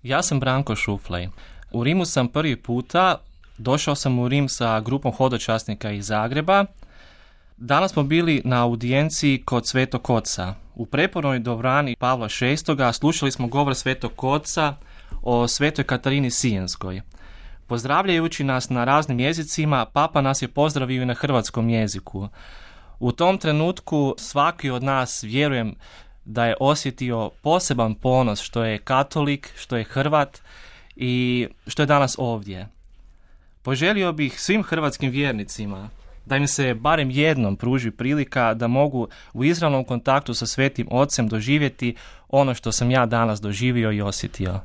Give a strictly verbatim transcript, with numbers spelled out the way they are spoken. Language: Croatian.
Ja sam Branko Šuflej. U Rimu sam prvi puta, došao sam u Rim sa grupom hodočasnika iz Zagreba. Danas smo bili na audijenciji kod Svetog Oca. U prepornoj dvorani Pavla šestoga slušali smo govor Svetog Oca o Svetoj Katarini Sijenskoj. Pozdravljajući nas na raznim jezicima, Papa nas je pozdravio i na hrvatskom jeziku. U tom trenutku svaki od nas, vjerujem, da je osjetio poseban ponos što je katolik, što je Hrvat i što je danas ovdje. Poželio bih svim hrvatskim vjernicima da im se barem jednom pruži prilika da mogu u izravnom kontaktu sa Svetim Ocem doživjeti ono što sam ja danas doživio i osjetio.